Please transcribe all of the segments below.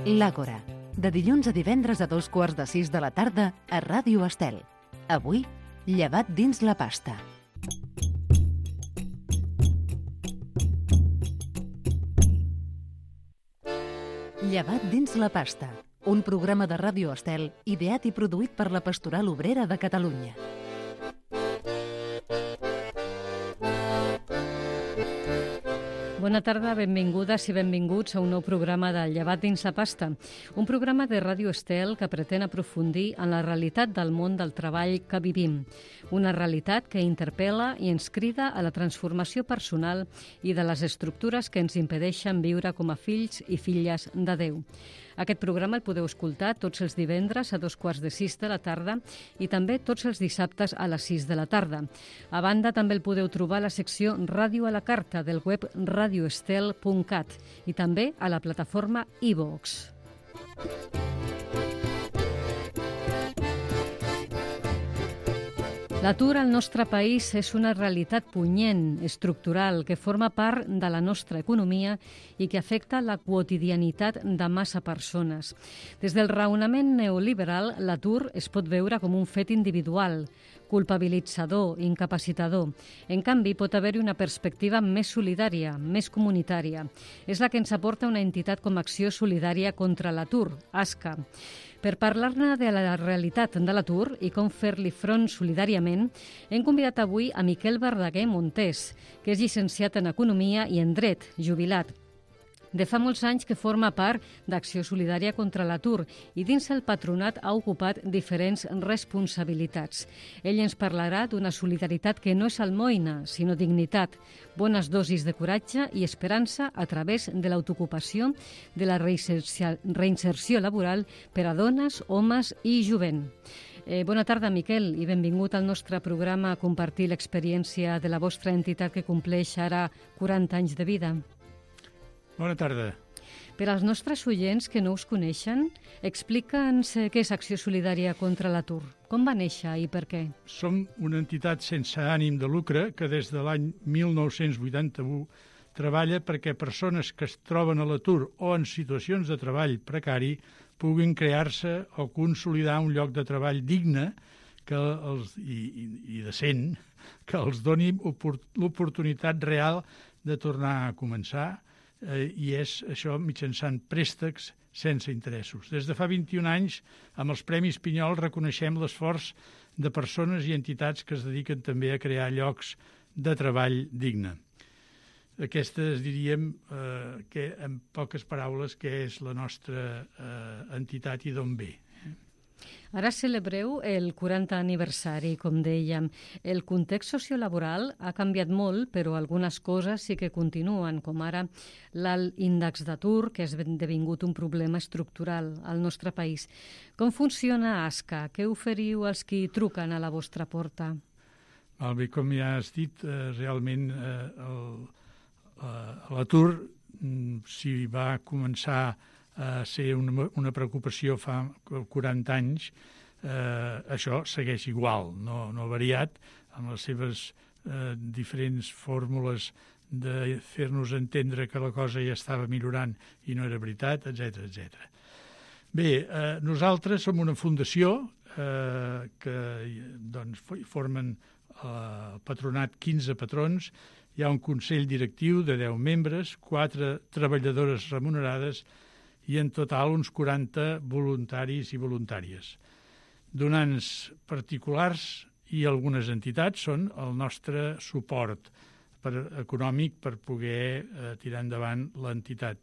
L'Àgora, de dilluns a divendres a 2:15 de la tarda a Ràdio Estel. Avui, llevat dins la pasta. Llevat dins la pasta, un programa de Ràdio Estel ideat i produït per la Pastoral Obrera de Catalunya. Bona tarda, benvingudes i benvinguts a un nou programa de Llevat dins la pasta, un programa de Ràdio Estel que pretén aprofundir en la realitat del món del treball que vivim, una realitat que interpel·la i ens crida a la transformació personal i de les estructures que ens impedeixen viure com a fills i filles de Déu. Aquest programa el podeu escoltar tots els divendres a 5:15 de la tarda i també tots els dissabtes a les 6 de la tarda. A banda, també el podeu trobar a la secció Ràdio a la Carta del web radioestel.cat i també a la plataforma iVox. L'atur al nostre país és una realitat punyent, estructural, que forma part de la nostra economia i que afecta la quotidianitat de massa persones. Des del raonament neoliberal, l'atur es pot veure com un fet individual, culpabilitzador, incapacitador. En canvi, pot haver-hi una perspectiva més solidària, més comunitària. És la que ens aporta una entitat com Acció Solidària contra l'Atur, ASCA. Per parlar-ne de la realitat de l'atur i com fer-li front solidàriament, hem convidat avui a Miquel Verdaguer Montés, que és llicenciat en Economia i en Dret, jubilat. De fa molts anys que forma part d'Acció Solidària contra l'Atur i dins el patronat ha ocupat diferents responsabilitats. Ell ens parlarà d'una solidaritat que no és almoina, sinó dignitat, bones dosis de coratge i esperança a través de l'autoocupació, de la reinserció laboral per a dones, homes i jovent. Bona tarda, Miquel, i benvingut al nostre programa a compartir l'experiència de la vostra entitat que compleix ara 40 anys de vida. Bona tarda. Per als nostres oients que no us coneixen, explica'ns què és Acció Solidària contra l'Atur. Com va néixer i per què? Som una entitat sense ànim de lucre que des de l'any 1981 treballa perquè persones que es troben a l'atur o en situacions de treball precari puguin crear-se o consolidar un lloc de treball digne i decent que els doni l'oportunitat real de tornar a començar, i és això mitjançant préstecs sense interessos. Des de fa 21 anys, amb els Premis Pinyol, reconeixem l'esforç de persones i entitats que es dediquen també a crear llocs de treball digne. Aquesta diríem que, en poques paraules, que és la nostra entitat i d'on ve. Ara celebreu el 40 aniversari, com dèiem. El context sociolaboral ha canviat molt, però algunes coses sí que continuen, com ara l'alt índex d'atur, que ha esdevingut un problema estructural al nostre país. Com funciona ASCA? Què oferiu als qui truquen a la vostra porta? Bé, com ja has dit, realment l'atur, si va començar a ser una preocupació fa 40 anys, això segueix igual, no ha variat, amb les seves diferents fórmules de fer-nos entendre que la cosa ja estava millorant i no era veritat, etc. Bé, nosaltres som una fundació que formen el patronat 15 patrons, hi ha un consell directiu de 10 membres, 4 treballadores remunerades i en total uns 40 voluntaris i voluntàries. Donants particulars i algunes entitats són el nostre suport econòmic per poder tirar endavant l'entitat.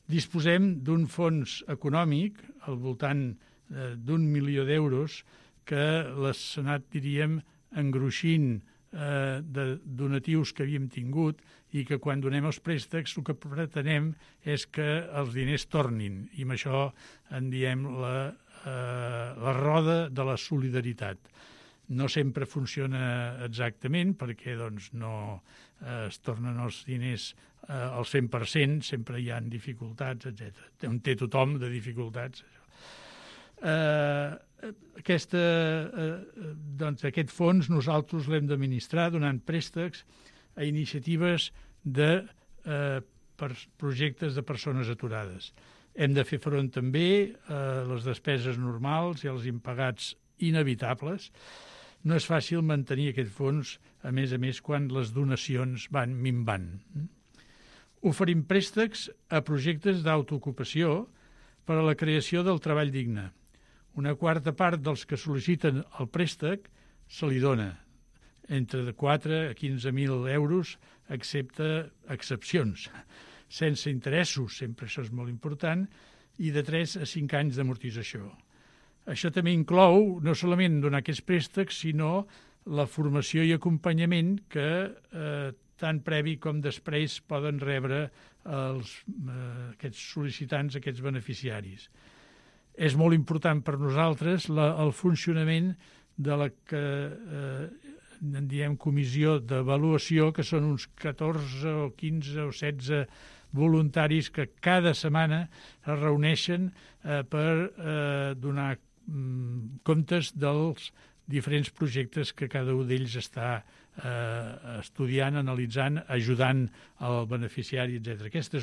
Disposem d'un fons econòmic al voltant d'1 milió d'euros que l'ha anat, diríem, engruixint de donatius que havíem tingut i que quan donem els préstecs el que pretenem és que els diners tornin i amb això en diem la roda de la solidaritat. No sempre funciona exactament perquè no es tornen els diners al 100%, sempre hi ha dificultats, etc. On té tothom de dificultats. Aquest fons nosaltres l'hem d'administrar donant préstecs a iniciatives de projectes de persones aturades. Hem de fer front també a les despeses normals i als impagats inevitables. No és fàcil mantenir aquest fons, a més, quan les donacions van minvant. Oferim préstecs a projectes d'autoocupació per a la creació del treball digne. Una quarta part dels que sol·liciten el préstec se li dona, entre 4 a 15.000 euros, excepte excepcions, sense interessos, sempre això és molt important, i de 3 a 5 anys d'amortització. Això també inclou no solament donar aquests préstecs, sinó la formació i acompanyament que tant previ com després poden rebre aquests sol·licitants, aquests beneficiaris. És molt important per nosaltres el funcionament de la que en diem comissió d'avaluació, que són uns 14 o 15 o 16 voluntaris que cada setmana es reuneixen per donar comptes dels diferents projectes que cada un d'ells està estudiant, analitzant, ajudant al beneficiari, etc. Aquesta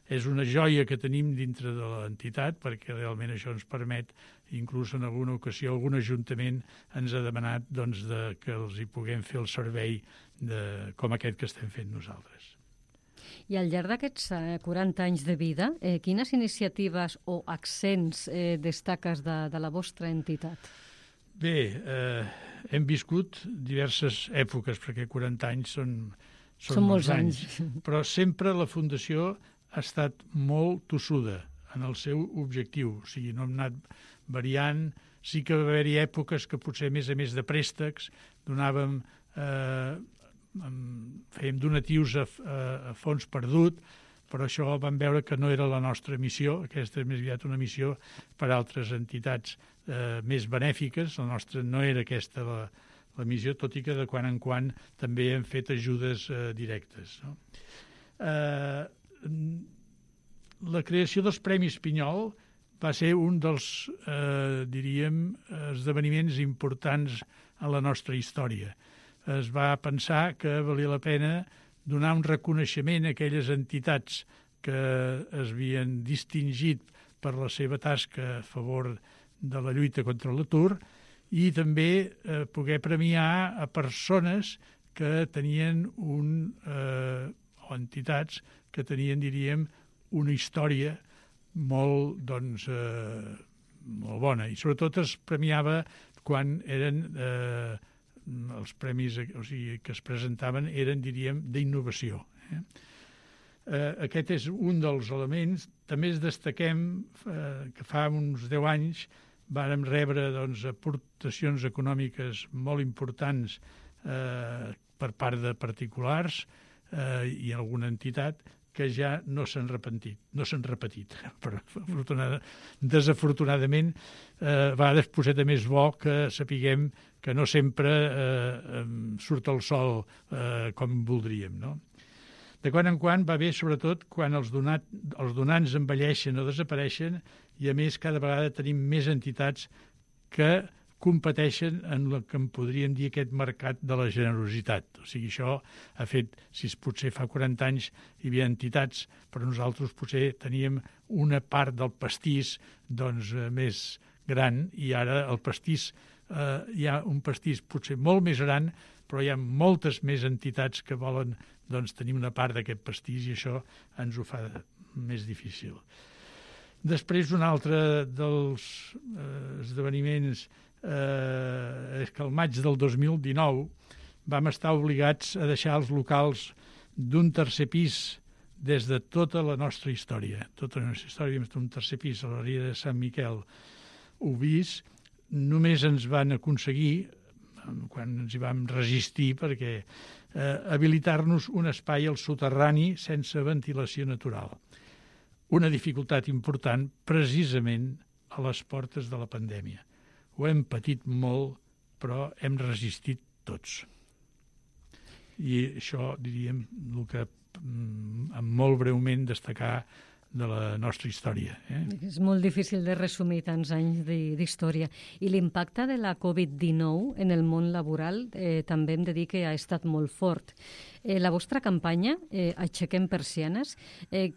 és una joia que tenim dintre de l'entitat, perquè realment això ens permet, inclús en alguna ocasió, algun ajuntament ens ha demanat que els hi puguem fer el servei com aquest que estem fent nosaltres. I al llarg d'aquests 40 anys de vida, quines iniciatives o accents destaques de la vostra entitat? Bé, hem viscut diverses èpoques, perquè 40 anys són molts anys. Però sempre la Fundació ha estat molt tossuda en el seu objectiu. O sigui, no hem anat variant. Sí que va haver-hi èpoques que potser, a més de préstecs, fèiem donatius a fons perdut, però això vam veure que no era la nostra missió. Aquesta és més aviat una missió per a altres entitats més benèfiques. La nostra no era aquesta la missió, tot i que de quan en quan també hem fet ajudes directes. No? La creació dels Premis Pinyol va ser un dels, esdeveniments importants en la nostra història. Es va pensar que valia la pena donar un reconeixement a aquelles entitats que es havien distingit per la seva tasca a favor de la lluita contra l'atur i també poder premiar a persones que tenien o entitats que tenien, una història molt bona. I sobretot es premiava quan eren els premis que es presentaven eren, d'innovació. Aquest és un dels elements. També destaquem que fa uns 10 anys vàrem rebre aportacions econòmiques molt importants per part de particulars i alguna entitat que ja no s'han repetit. Però desafortunadament, a vegades poseta més bo que sapiguem que no sempre surt el sol com voldríem, no? De quan en quan va bé, sobretot, quan els donants envelleixen o desapareixen i, a més, cada vegada tenim més entitats que competeixen en el que en podríem dir aquest mercat de la generositat. O sigui, això ha fet, si potser fa 40 anys hi havia entitats, però nosaltres potser teníem una part del pastís més gran i ara el pastís, hi ha un pastís potser molt més gran, però hi ha moltes més entitats que volen tenir una part d'aquest pastís i això ens ho fa més difícil. Després, un altre dels esdeveniments és que al maig del 2019 vam estar obligats a deixar els locals d'un tercer pis des de tota la nostra història. Tota la nostra història vam estar un tercer pis a la Riera de Sant Miquel Ubís. Només ens van aconseguir, quan ens hi vam resistir, perquè habilitar-nos un espai al soterrani sense ventilació natural. Una dificultat important precisament a les portes de la pandèmia. Ho hem patit molt, però hem resistit tots. I això, el que molt breument destacar de la nostra història. És molt difícil de resumir tants anys d'història. I l'impacte de la Covid-19 en el món laboral també hem de dir que ha estat molt fort. La vostra campanya, Aixequem Persianes,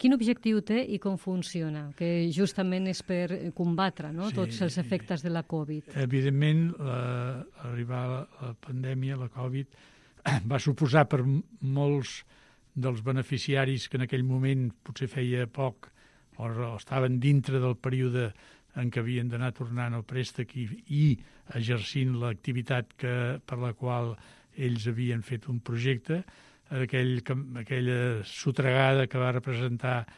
quin objectiu té i com funciona? Que justament és per combatre tots els efectes de la Covid. Evidentment, arribar la pandèmia, la Covid, va suposar per molts dels beneficiaris que en aquell moment potser feia poc o estaven dintre del període en què havien d'anar tornant el préstec i exercint l'activitat per la qual ells havien fet un projecte, aquella sotregada que va representar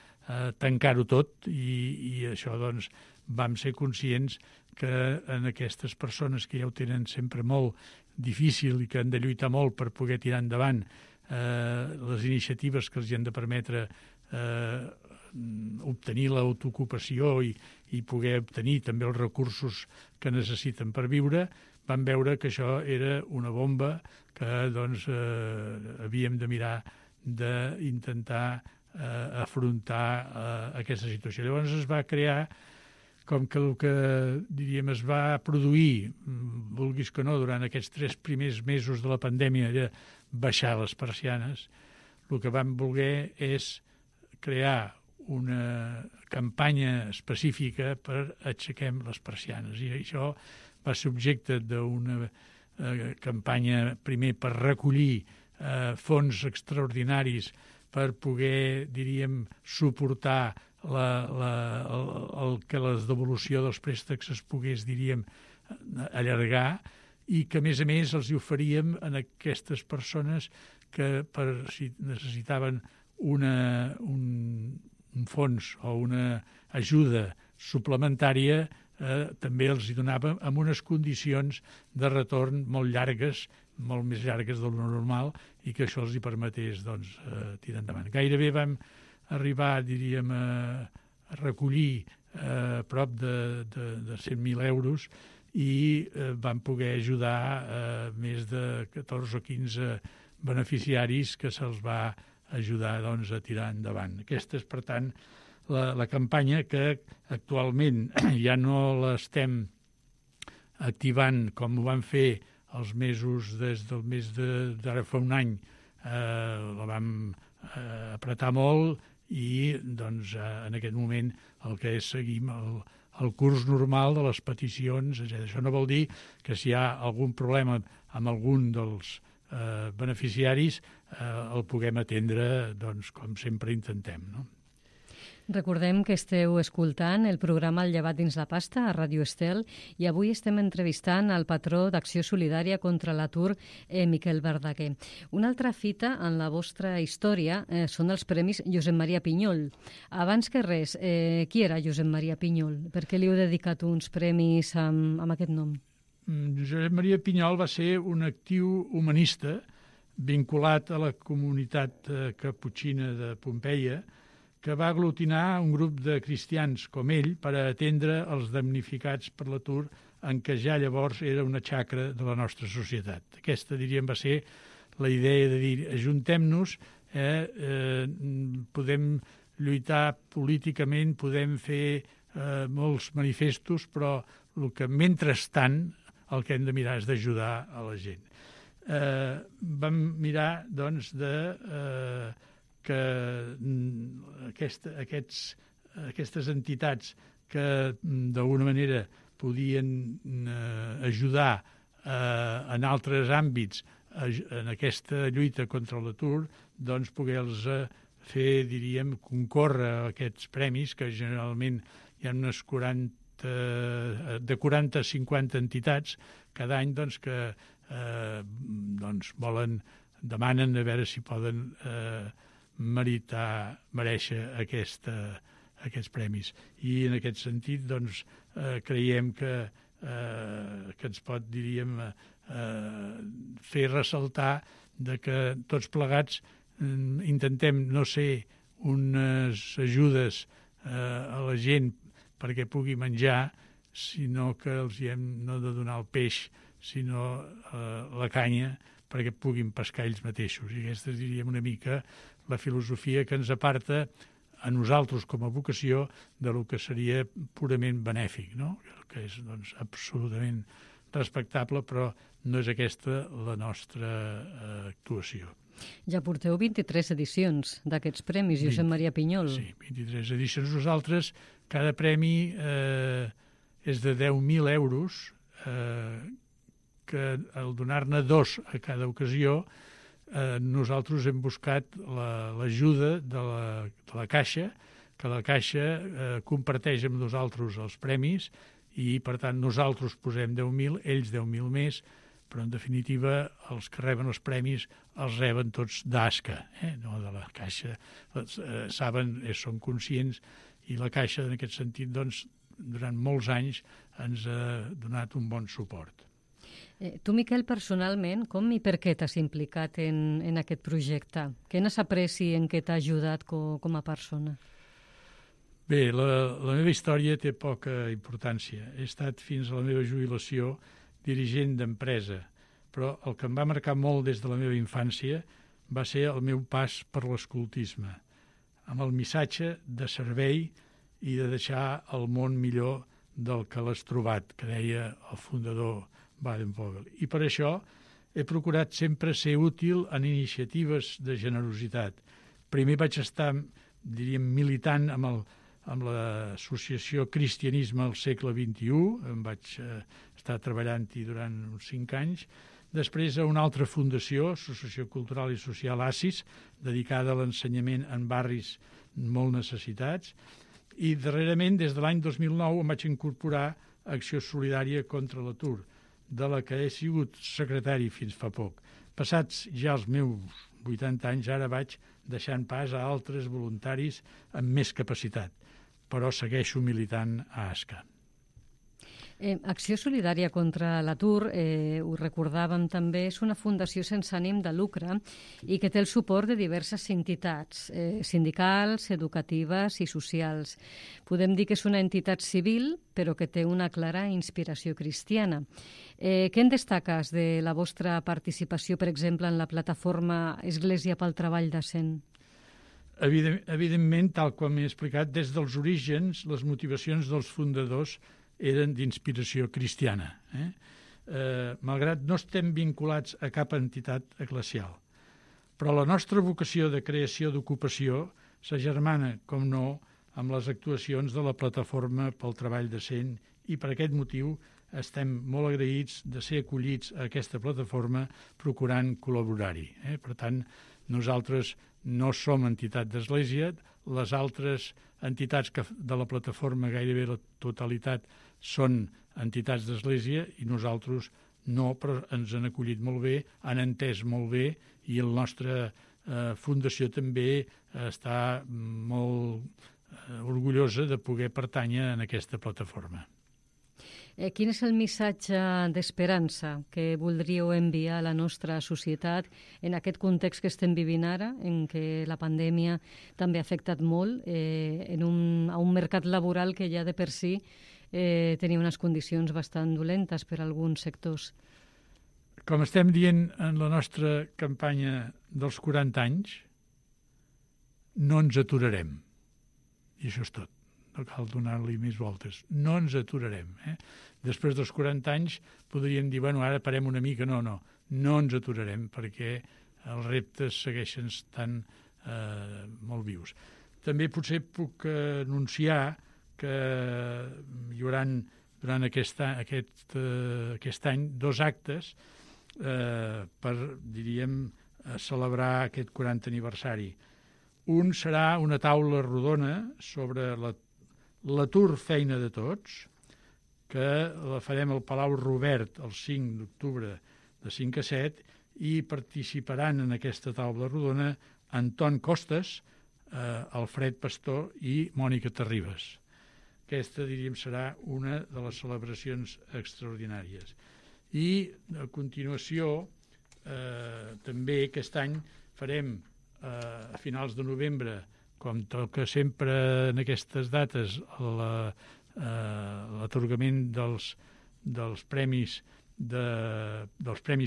tancar-ho tot i això doncs vam ser conscients que en aquestes persones que ja ho tenen sempre molt difícil i que han de lluitar molt per poder tirar endavant les iniciatives que els han de permetre obtenir l'autoocupació i poder obtenir també els recursos que necessiten per viure, vam veure que això era una bomba que doncs havíem de mirar d'intentar afrontar aquesta situació. Llavors es va crear, com que el que diríem es va produir, vulguis que no, durant aquests 3 primers mesos de la pandèmia era baixar les persianes, el que vam voler és crear una campanya específica per Aixequem les Persianes. I això va ser objecte d'una campanya primer per recollir fons extraordinaris per poder, diríem, suportar que la devolució dels préstecs es pogués, diríem, allargar i que, a més, els oferíem a aquestes persones que si necessitaven un fons o una ajuda suplementària també els hi donàvem amb unes condicions de retorn molt llargues, molt més llargues del normal i que això els hi permetés tirar endavant. Gairebé vam arribar, diríem, a recollir prop de 100.000 euros i vam poder ajudar més de 14 o 15 beneficiaris que se'ls va ajudar a tirar endavant. Aquesta és, per tant, la campanya que actualment ja no l'estem activant com ho vam fer els mesos des del mes d'ara fa un any. La vam apretar molt i doncs, en aquest moment el que és seguim el curs normal de les peticions, etc. Això no vol dir que si hi ha algun problema amb algun dels beneficiaris el puguem atendre, doncs, com sempre intentem, no? Recordem que esteu escoltant el programa El llevat dins la pasta a Ràdio Estel i avui estem entrevistant el patró d'Acció Solidària contra l'Atur, Miquel Verdaguer. Una altra fita en la vostra història són els Premis Josep Maria Pinyol. Abans que res, qui era Josep Maria Pinyol? Per què li heu dedicat uns premis amb aquest nom? Josep Maria Pinyol va ser un actiu humanista vinculat a la comunitat caputxina de Pompeia, que va aglutinar un grup de cristians com ell per atendre els damnificats per l'atur en què ja llavors era una xacra de la nostra societat. Aquesta, diríem, va ser la idea de dir, ajuntem-nos, podem lluitar políticament, podem fer molts manifestos, però el que mentrestant el que hem de mirar és d'ajudar a la gent. Vam mirar, doncs, que aquestes entitats que d'alguna manera podien ajudar en altres àmbits en aquesta lluita contra l'atur, doncs poder-los fer, diríem, concórrer a aquests premis, que generalment hi ha unes 40 a 50 entitats cada any doncs, que demanen a veure si poden mereixer aquests premis. I en aquest sentit doncs, creiem que ens pot, diríem, fer ressaltar de que tots plegats intentem no ser unes ajudes a la gent perquè pugui menjar, sinó que els hem no de donar el peix, sinó la canya, perquè puguin pescar ells mateixos. I aquesta és, diríem, una mica la filosofia que ens aparta a nosaltres com a vocació del que seria purament benèfic, no? Que és doncs, absolutament respectable, però no és aquesta la nostra actuació. Ja porteu 23 edicions d'aquests premis, Josep Maria Pinyol. Sí, 23 edicions. Nosaltres, cada premi és de 10.000 euros, que al donar-ne 2 a cada ocasió, nosaltres hem buscat l'ajuda de la Caixa, que la Caixa comparteix amb nosaltres els premis i, per tant, nosaltres posem 10.000, ells 10.000 més, però, en definitiva, els que reben els premis els reben tots d'ASCA, no de la Caixa. Saben, són conscients, i la Caixa, en aquest sentit, doncs, durant molts anys ens ha donat un bon suport. Tu, Miquel, personalment, com i per què t'has implicat en aquest projecte? Què n'has après i en què t'ha ajudat com a persona? Bé, la meva història té poca importància. He estat fins a la meva jubilació dirigent d'empresa, però el que em va marcar molt des de la meva infància va ser el meu pas per l'escoltisme, amb el missatge de servei i de deixar el món millor del que l'has trobat, que deia el fundador Baden-Powell. I per això he procurat sempre ser útil en iniciatives de generositat. Primer vaig estar, diríem, militant amb l'associació Cristianisme al segle XXI, em vaig estar treballant-hi durant uns 5 anys, després a una altra fundació, Associació Cultural i Social ASIS, dedicada a l'ensenyament en barris molt necessitats, i darrerament, des de l'any 2009, em vaig incorporar a Acció Solidària contra l'Atur, de la que he sigut secretari fins fa poc. Passats ja els meus 80 anys, ara vaig deixant pas a altres voluntaris amb més capacitat, però segueixo militant a ASCA. Acció Solidària contra l'Atur, ho recordàvem també, és una fundació sense ànim de lucre i que té el suport de diverses entitats, sindicals, educatives i socials. Podem dir que és una entitat civil, però que té una clara inspiració cristiana. Què en destaques de la vostra participació, per exemple, en la plataforma Església pel Treball Decent? Evidentment, tal com he explicat, des dels orígens, les motivacions dels fundadors eren d'inspiració cristiana. Malgrat no estem vinculats a cap entitat eclesial. Però la nostra vocació de creació d'ocupació s'agermana, com no, amb les actuacions de la Plataforma pel Treball Decent i per aquest motiu estem molt agraïts de ser acollits a aquesta plataforma procurant col·laborar-hi. Per tant, nosaltres no som entitat d'església, les altres entitats de la plataforma, gairebé la totalitat, són entitats d'església i nosaltres no, però ens han acollit molt bé, han entès molt bé i la nostra fundació també està molt orgullosa de poder pertànyer en aquesta plataforma. Quin és el missatge d'esperança que voldríeu enviar a la nostra societat en aquest context que estem vivint ara, en què la pandèmia també ha afectat molt a un mercat laboral que ja de per si tenia unes condicions bastant dolentes per a alguns sectors? Com estem dient en la nostra campanya dels 40 anys, no ens aturarem. I això és tot. No cal donar-li més voltes. No ens aturarem. Després dels 40 anys podríem dir, bueno, ara parem una mica. No ens aturarem perquè els reptes segueixen estant molt vius. També potser puc anunciar que hi haurà durant aquest any 2 actes per, diríem, celebrar aquest 40 aniversari. Un serà una taula rodona sobre l'atur feina de tots, que la farem al Palau Robert el 5 d'octubre de 5 a 7 i participaran en aquesta taula rodona Anton Costas, Alfred Pastor i Mònica Terribas. Aquesta, diríem, serà una de les celebracions extraordinàries. I, a continuació, també aquest any farem a finals de novembre, com toca sempre en aquestes dates, l'atorgament dels premis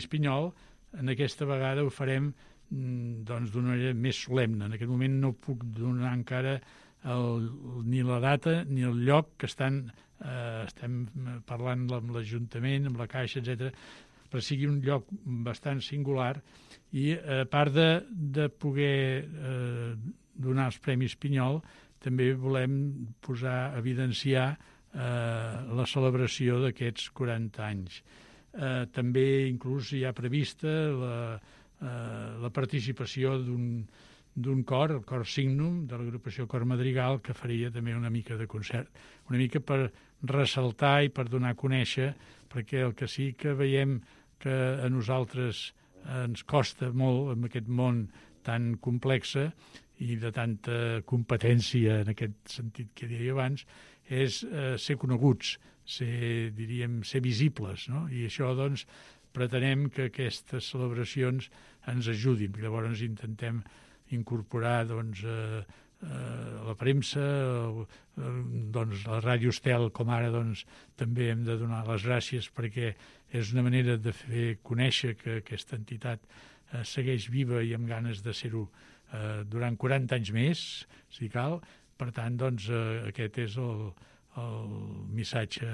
Pinyol. En aquesta vegada ho farem d'una manera més solemne. En aquest moment no puc donar encara ni la data ni el lloc que estem parlant amb l'Ajuntament, amb la Caixa, etc, però sigui un lloc bastant singular i a part de poder donar els Premis Pinyol, també volem evidenciar la celebració d'aquests 40 anys. També inclús hi ha prevista la participació d'un cor, el Cor Signum, de l'agrupació Cor Madrigal, que faria també una mica de concert, una mica per ressaltar i per donar a conèixer, perquè el que sí que veiem que a nosaltres ens costa molt en aquest món tan complex i de tanta competència en aquest sentit que deia abans, és ser coneguts, ser visibles, no? I això, doncs, pretenem que aquestes celebracions ens ajudin. Llavors intentem incorporar, doncs, la premsa, doncs, la Ràdio Estel, com ara, doncs, també hem de donar les gràcies perquè és una manera de fer conèixer que aquesta entitat segueix viva i amb ganes de ser-ho durant 40 anys més, si cal. Per tant, doncs, aquest és el missatge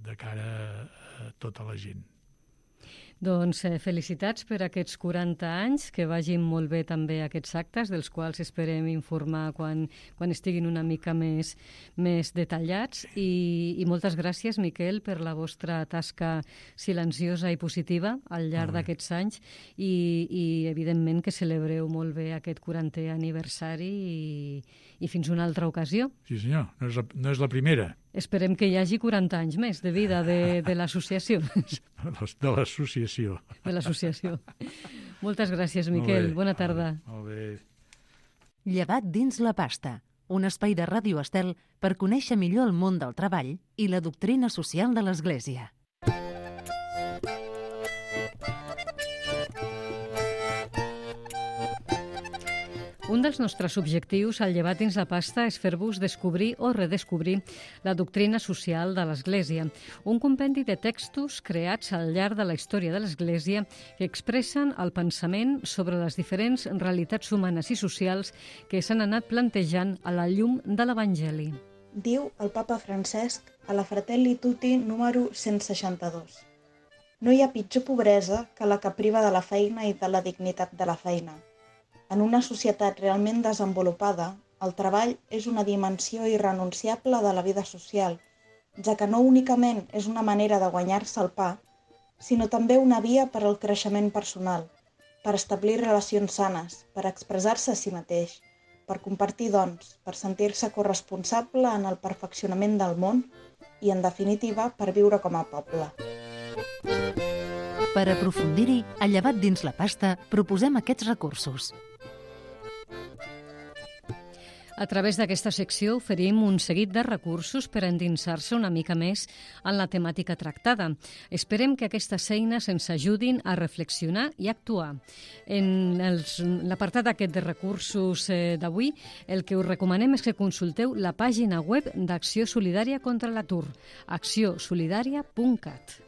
de cara a tota la gent. Doncs felicitats per aquests 40 anys, que vagin molt bé també aquests actes, dels quals esperem informar quan estiguin una mica més detallats. I moltes gràcies, Miquel, per la vostra tasca silenciosa i positiva al llarg d'aquests anys i evidentment que celebreu molt bé aquest 40è aniversari i fins una altra ocasió. Sí, senyor, no és la primera. Esperem que hi hagi 40 anys més de vida de l'associació. De l'associació. De l'associació. Moltes gràcies, Miquel. Bona tarda. Molt bé. Llevat dins la pasta, un espai de Ràdio Estel per conèixer millor el món del treball i la doctrina social de l'Església. Un dels nostres objectius al Llevat dins la pasta és fer-vos descobrir o redescobrir la doctrina social de l'Església, un compendi de textos creats al llarg de la història de l'Església que expressen el pensament sobre les diferents realitats humanes i socials que s'han anat plantejant a la llum de l'Evangeli. Diu el papa Francesc a la Fratelli Tutti número 162. No hi ha pitjor pobresa que la que priva de la feina i de la dignitat de la feina. En una societat realment desenvolupada, el treball és una dimensió irrenunciable de la vida social, ja que no únicament és una manera de guanyar-se el pa, sinó també una via per al creixement personal, per establir relacions sanes, per expressar-se a si mateix, per compartir dons, per sentir-se corresponsable en el perfeccionament del món i, en definitiva, per viure com a poble. Per aprofundir-hi, a Llevat dins la pasta, proposem aquests recursos. A través d'aquesta secció oferim un seguit de recursos per endinsar-se una mica més en la temàtica tractada. Esperem que aquestes eines ens ajudin a reflexionar i actuar. En l'apartat aquest de recursos d'avui, el que us recomanem és que consulteu la pàgina web d'Acció Solidària contra l'Atur, accionsolidària.cat.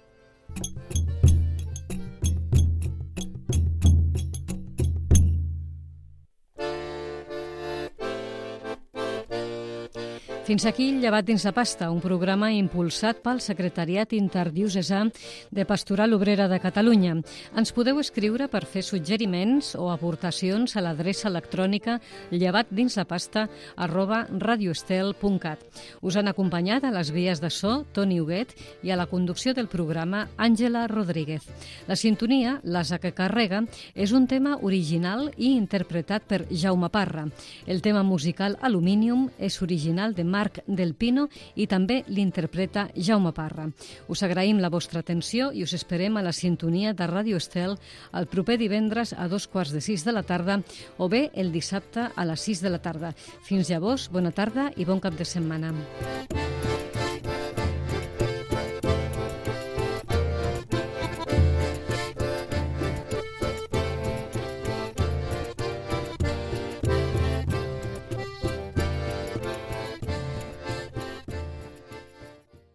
Fins aquí Llevat dins la pasta, un programa impulsat pel Secretariat Interdiocesà de Pastoral Obrera de Catalunya. Ens podeu escriure per fer suggeriments o aportacions a l'adreça electrònica llevatdinsapasta@radioestel.cat. Us han acompanyat a les vies de so Toni Huguet i a la conducció del programa Àngela Rodríguez. La sintonia, l'asa que carrega, és un tema original i interpretat per Jaume Parra. El tema musical Aluminium és original de Marc del Pino i també l'interpreta Jaume Parra. Us agraïm la vostra atenció i us esperem a la sintonia de Ràdio Estel el proper divendres a 5:45 de la tarda o bé el dissabte a les 6 de la tarda. Fins llavors, bona tarda i bon cap de setmana.